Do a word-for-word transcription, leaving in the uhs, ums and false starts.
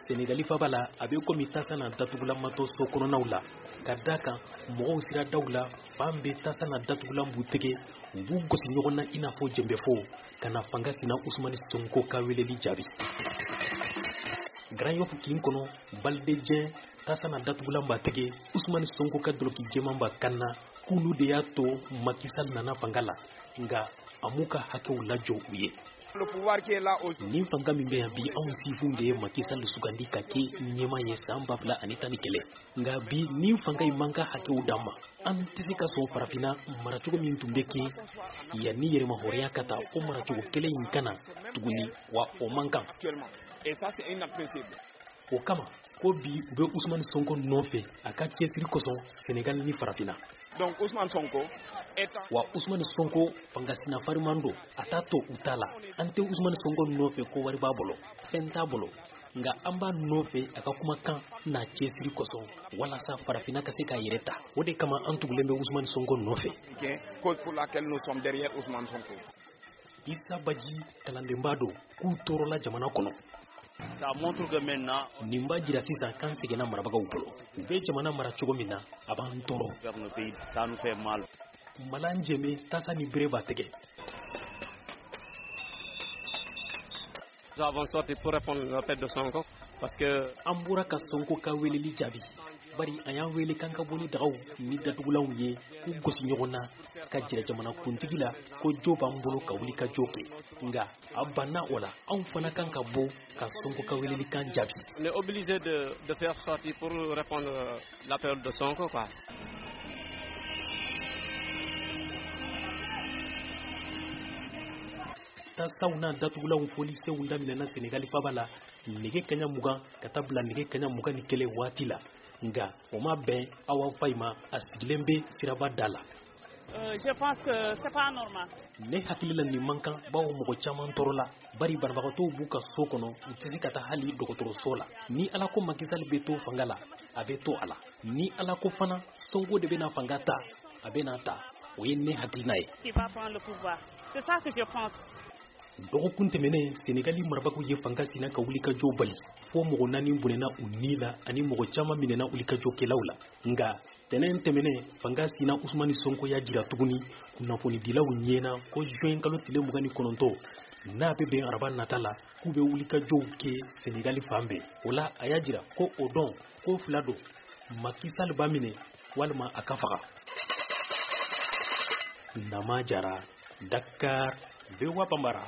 Senegali faba la, a bɛ komi tasa na datugulan ma to so kɔnɔnaw la, ka da kan mɔgɔw sira daw la, fan bɛ tasa na datugulan b'u tɛgɛ, u b'u gosi ɲɔgɔn na i n'a fɔ jɛnbɛfo ka na fanga sina Usumani Sonko ka weleli jaabi. Grand Yoff kin kɔnɔ, Balde Dieng tasa na datugulan b'a tɛgɛ, Usumani Sonko ka dɔlɔki jɛman b'a kan na, k'olu de y'a to Macky Sall nana fanga la, nka a m'u ka hakɛw lajɔ u ye. Nin fanga min bɛ yan bi, anw sifinw de ye Macky Sall sugandi ka kɛ ɲɛmaa ye san ba fila ani tan ni kelen. Nka bi nin fanga in man ka hakɛw d'an ma. An tɛ se ka sɔn farafinna maracogo min tun bɛ kɛ yanni yɛrɛmahɔrɔnya ka ta, o maracogo kelen in kana tuguni, wa o man kan. O kama ko bi u bɛ Usumani Sonko nɔfɛ a ka cɛsiri kosɔn Senegal ni farafinna. Donc Ousmane Sonko wa Usumani Sonko fangasina fariman don, a t'a to u ta la. An tɛ Usumani Sonko nɔfɛ ko wari b'a bolo, fɛn t'a bolo, nka an b'a nɔfɛ a ka kumakan n'a cɛsiri kosɔn walasa farafinna ka se k'a yɛrɛ ta. O de kama an tugulen bɛ Usumani Sonko nɔfɛ. Cause pour laquelle nous sommes derrière Ousmane Sonko. Issa Badji kalandenba don, k'u tɔɔrɔla jamana kɔnɔ. Ça montre que maintenant nin b'a jira sisan k'an seginna marabagaw bolo. U bɛ jamana mara cogo min na, a b'an tɔɔrɔ. Vers nos pays, ça nous fait mal. Malan Jɛmɛ tasa ni bere b'a tɛgɛ. Nous avons sorti pour répondre à l'appel de Sonko parce que an bɔra ka Sonko ka weleli jaabi, bari a y'an wele k'an ka bɔ ni dagaw ni datugulanw ye k'u gosi ɲɔgɔn na ka jira jamana kuntigi la ko jo b'an bolo ka wuli ka jo kɛ. Nka a banna o la, anw fana kan ka bɔ ka Sonko ka welelikan jaabi. On est obligé de, de faire sortir pour répondre l'appel de Sonko quoi. Tasaw n'a datugulanw folisenw daminɛna Senegali faba la nɛgɛ kaɲa mugan ka taa bila nɛgɛ kaɲa mugan ni kelen waati la, nka o ma bɛn Awa Fayi ma, a sigilen bɛ siraba da la. Euh, je pense que c'est pas normal. Ne hakili la nin man kan, bawo mɔgɔ caman tɔɔrɔla, bari banabagatɔw b'u ka so kɔnɔ, u tɛ se ka taa hali dɔgɔtɔrɔso la. Ni Ala ko Macky Sall bɛ to fanga la, a bɛ to a la. Ni Ala ko fana Sonko de bɛna fanga ta, a bɛna ta. O ye ne hakilina ye. Qui va prendre le pouvoir. C'est ça que je pense. Dɔgɔkun tɛmɛnen, Senegali marabagaw ye fanga sina ka wulikajɔ bali, fo mɔgɔ naani bɔnɛna u ni la ani mɔgɔ caman minɛna wulikajɔkɛlaw la. Nka tɛnɛn tɛmɛnen, fanga sina Usumani Sonko y'a jira tuguni kunnafonidilaw ɲɛna ko juin kalo tile mugan ni kɔnɔntɔn n'a bɛ bɛn araba nata la, k'u bɛ wulikajɔw kɛ Senegali fan bɛɛ. O la a y'a jira ko o dɔn ko fila don, Macky Sall b'a minɛ walima a ka faga. Nama Jara, Dakar, V O A Bambara.